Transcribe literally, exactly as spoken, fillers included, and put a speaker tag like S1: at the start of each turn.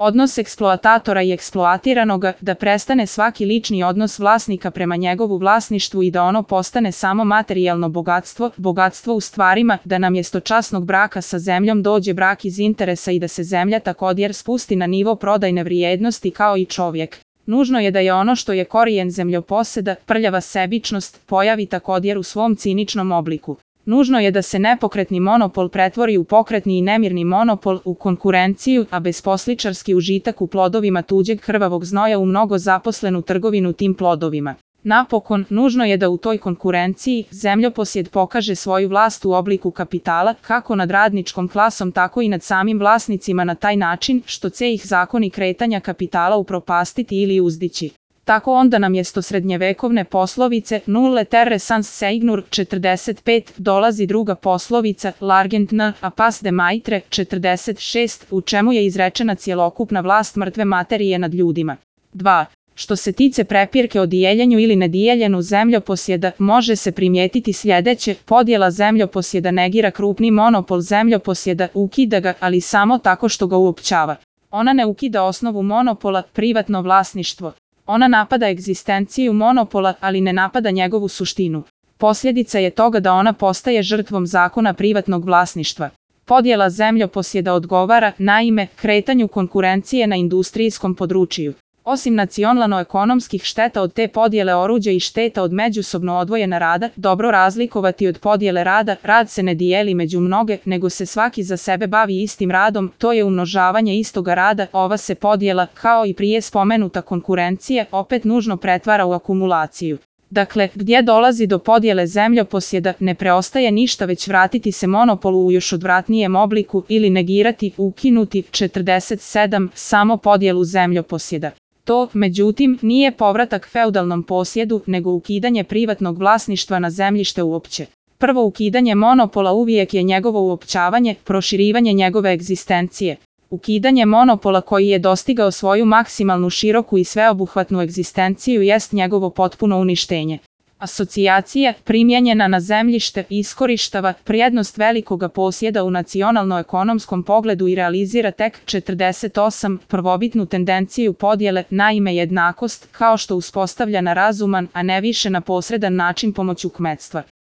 S1: odnos eksploatatora i eksploatiranoga, da prestane svaki lični odnos vlasnika prema njegovu vlasništvu i da ono postane samo materijalno bogatstvo, bogatstvo u stvarima, da namjesto časnog braka sa zemljom dođe brak iz interesa i da se zemlja također spusti na nivo prodajne vrijednosti kao i čovjek. Nužno je da je ono što je korijen zemljoposeda, prljava sebičnost, pojavi također u svom ciničnom obliku. Nužno je da se nepokretni monopol pretvori u pokretni i nemirni monopol, u konkurenciju, a besposličarski užitak u plodovima tuđeg krvavog znoja u mnogo zaposlenu trgovinu tim plodovima. Napokon, nužno je da u toj konkurenciji zemljoposjed pokaže svoju vlast u obliku kapitala, kako nad radničkom klasom tako i nad samim vlasnicima na taj način što će ih zakoni kretanja kapitala upropastiti ili uzdići. Tako onda namjesto srednjevekovne poslovice nulle terre sans seigneur četrdeset pet dolazi druga poslovica l'argent ne a pas de maitre četrdeset šest u čemu je izrečena cjelokupna vlast mrtve materije nad ljudima. dva. Što se tiče prepirke o dijeljenju ili nedijeljenu zemljoposjeda, može se primijetiti sljedeće: podjela zemljoposjeda negira krupni monopol zemljoposjeda, ukida ga, ali samo tako što ga uopćava. Ona ne ukida osnovu monopola, privatno vlasništvo. Ona napada egzistenciju monopola, ali ne napada njegovu suštinu. Posljedica je toga da ona postaje žrtvom zakona privatnog vlasništva. Podjela zemljoposjeda odgovara, naime, kretanju konkurencije na industrijskom području. Osim nacionalno-ekonomskih šteta od te podjele oruđa i šteta od međusobno odvojena rada, dobro razlikovati od podjele rada, rad se ne dijeli među mnoge, nego se svaki za sebe bavi istim radom, to je umnožavanje istoga rada, ova se podjela, kao i prije spomenuta konkurencija, opet nužno pretvara u akumulaciju. Dakle, gdje dolazi do podjele zemljoposjeda, ne preostaje ništa već vratiti se monopolu u još odvratnijem obliku ili negirati, ukinuti, četrdeset sedam, samo podjelu zemljoposjeda. To, međutim, nije povratak feudalnom posjedu, nego ukidanje privatnog vlasništva na zemljište uopće. Prvo ukidanje monopola uvijek je njegovo uopćavanje, proširivanje njegove egzistencije. Ukidanje monopola koji je dostigao svoju maksimalnu široku i sveobuhvatnu egzistenciju jest njegovo potpuno uništenje. Asocijacija, primjenjena na zemljište, iskorištava prednost velikoga posjeda u nacionalno-ekonomskom pogledu i realizira tek četrdeset osam prvobitnu tendenciju podjele, naime jednakost, kao što uspostavlja na razuman, a ne više na posredan način pomoću kmetstva.